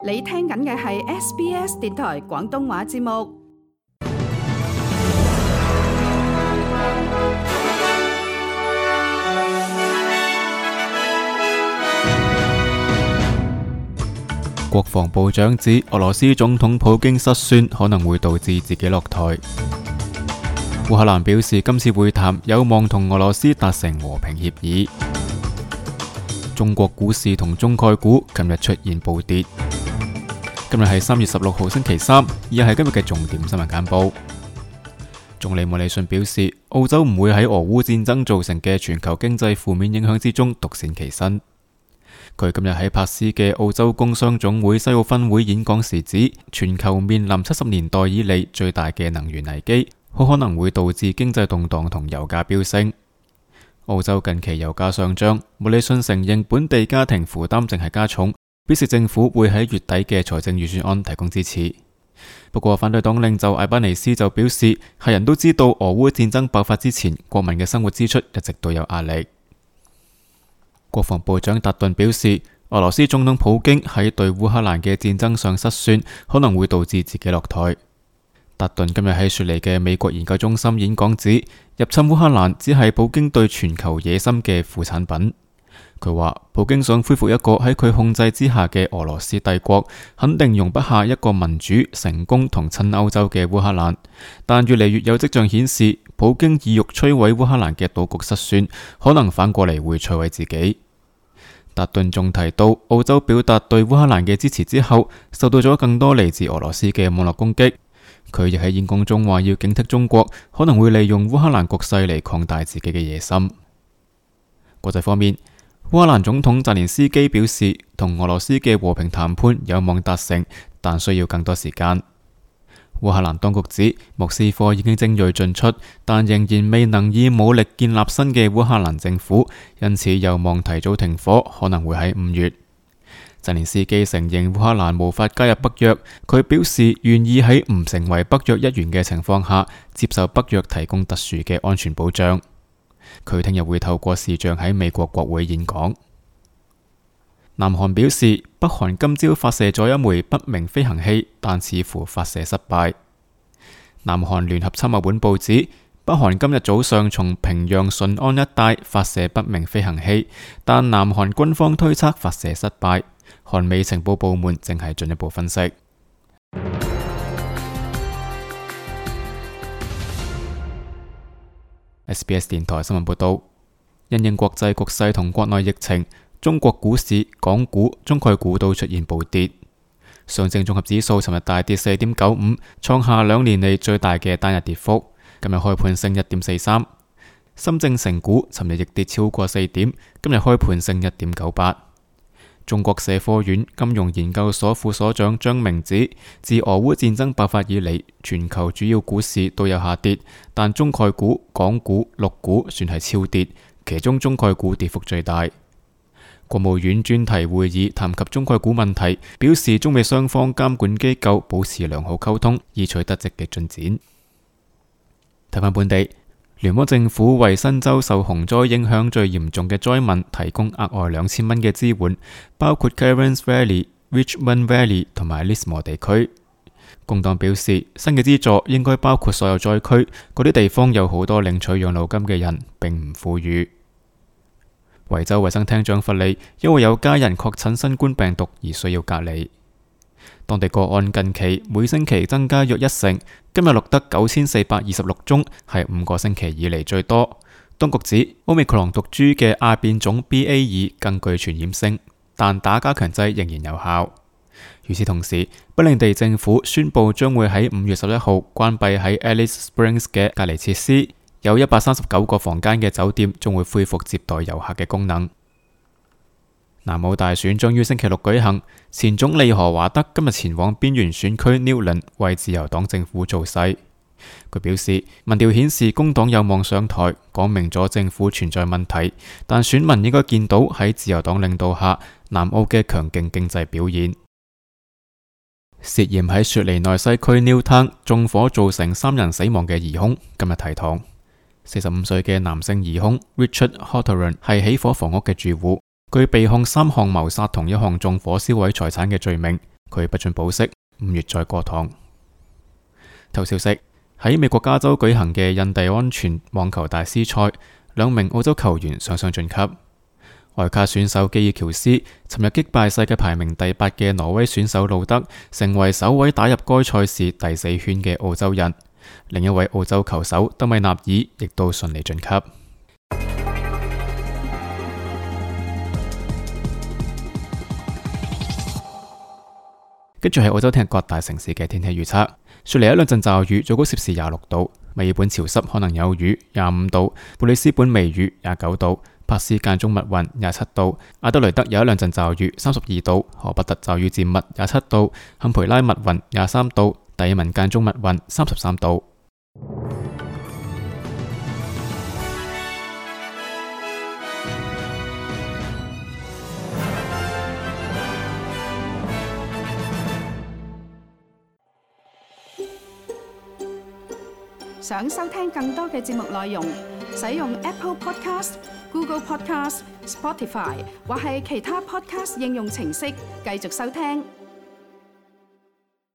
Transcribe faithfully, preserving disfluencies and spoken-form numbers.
你聽緊嘅係 S B S 電台廣東話節目。國防部長指俄羅斯總統普京失算可能會導致自己落台。烏克蘭表示今次會談有望同俄羅斯達成和平協議。中國股市同中概股今日出現暴跌。今日係三月十六號星期三，以下係今日嘅重點新聞簡報。總理莫里遜表示，澳洲唔會喺俄烏戰爭造成嘅全球經濟負面影響之中獨善其身。佢今日喺珀斯嘅澳洲工商總會西澳分會演講時指，全球面臨七十年代以嚟最大嘅能源危機，好可能會導致經濟動盪同油價飆升。澳洲近期油價上漲，莫里遜承認本地家庭負擔正係加重，表示政府會喺月底嘅財政預算案提供支持。不過反對黨領袖艾巴尼斯就表示，係人都知道俄烏戰爭爆發之前，國民嘅生活支出一直都有壓力。國防部長達頓表示，俄羅斯總統普京喺對烏克蘭嘅戰爭上失算，可能會導致自己落台。達頓今日喺雪梨嘅美國研究中心演講指，入侵烏克蘭只係普京對全球野心嘅副產品。佢話普京想恢復一個喺佢控制之下嘅俄羅斯帝國，肯定容不下一個民主、成功同親歐洲嘅烏克蘭。但越嚟越有跡象顯示，普京意欲摧毀烏克蘭嘅賭局失算，可能反過嚟會摧毀自己。達頓仲提到，澳洲表達對烏克蘭嘅支持之後，受到咗更多嚟自俄羅斯嘅網絡攻擊。佢亦喺演講中話要警惕中國可能會利用烏克蘭局勢嚟擴大自己嘅野心。國際方面，烏克蘭總統澤連斯基表示，同俄羅斯嘅和平談判有望達成，但需要更多時間。烏克蘭當局指，莫斯科已經精銳進出，但仍然未能以武力建立新嘅烏克蘭政府，因此有望提早停火，可能會喺五月。澤連斯基承認烏克蘭無法加入北約，佢表示願意喺唔成為北約一員嘅情況下，接受北約提供特殊嘅安全保障。佢聽日會透過視像喺美國國會演講。南韓表示，北韓今朝發射咗一枚不明飛行器，但似乎發射失敗。南韓聯合參謀本部指，北韓今日早上從平壤順安一帶發射不明飛行器，但南韓軍方推測發射失敗。韓美情報部門正係進一步分析。S B S 電台新聞報道，因應國際局勢同國內疫情，中國股市、港股、中概股都出現暴跌。上證綜合指數尋日大跌四點九五，創下兩年嚟最大嘅單日跌幅。今日開盤升一點四三。深證成股尋日亦跌超過四點，今日開盤升一點九八。中國社科院金融研究所副所長張明指，自俄烏戰爭爆發以嚟，全球主要股市都有下跌，但中概股、港股、陸股算係超跌，其中中概股跌幅最大。國務院專題會議談及中概股問題，表示中美雙方監管機構保持良好溝通，已取得積極進展。睇返本地，聯邦政府為新州受洪災影響最嚴重嘅災民提供額外兩千蚊嘅支援，包括 Cairns Valley、Richmond Valley 同埋 Lismore 地區。工黨表示，新嘅資助應該包括所有災區，嗰啲地方有好多領取養老金嘅人，並唔富裕。維州衛生廳長弗利因為有家人確診新冠病毒而需要隔離。當地個案近期每星期增加約一成，今日錄得九千四百二十六宗，係五個星期以嚟最多。當局指，Omicron毒株嘅亞變種 B A 二 更具傳染性，但打加強劑仍然有效。與此同時，不領地政府宣布將會喺五月十一號關閉喺 Alice Springs 嘅隔離設施，有一百三十九個房間嘅酒店將會恢復接待遊客嘅功能。南澳大選將於星期六舉行，前總理何華德今日前往邊緣選區 Newland 為自由黨政府造勢。佢表示，民調顯示工黨有望上台，講明咗政府存在問題，但選民應該見到喺自由黨領導下，南澳嘅強勁經濟表現。涉嫌喺雪梨內西區 Newtown 縱火造成三人死亡嘅疑兇今日提堂。四十五歲嘅男性疑兇 Richard Hawthorne 係起火房屋嘅住戶。佢被控三項謀殺同一項縱火燒毀財產嘅罪名，佢不准保釋，五月再過堂。頭消息：喺美國加州舉行嘅印第安全網球大師賽，兩名澳洲球員雙雙晉級。外卡選手基爾喬斯尋日擊敗世界排名第八嘅挪威選手路德，成為首位打入該賽事第四圈嘅澳洲人。另一位澳洲球手德米納爾亦都順利晉級。跟住係澳洲聽日各大城市嘅天氣預測：雪梨一兩陣驟雨，最高攝氏廿六度；墨爾本潮濕可能有雨，廿五度；布里斯本微雨，廿九度；珀斯間中密雲，廿七度；阿德雷德有一兩陣驟雨，三十二度；荷伯特驟雨漸密，廿七度；坎培拉密雲，廿三度；達爾文間中密雲，三十三度。想收聽更多嘅節目內容，使用 Apple Podcast、Google Podcast、Spotify 或係其他 Podcast 應用程式繼續收聽。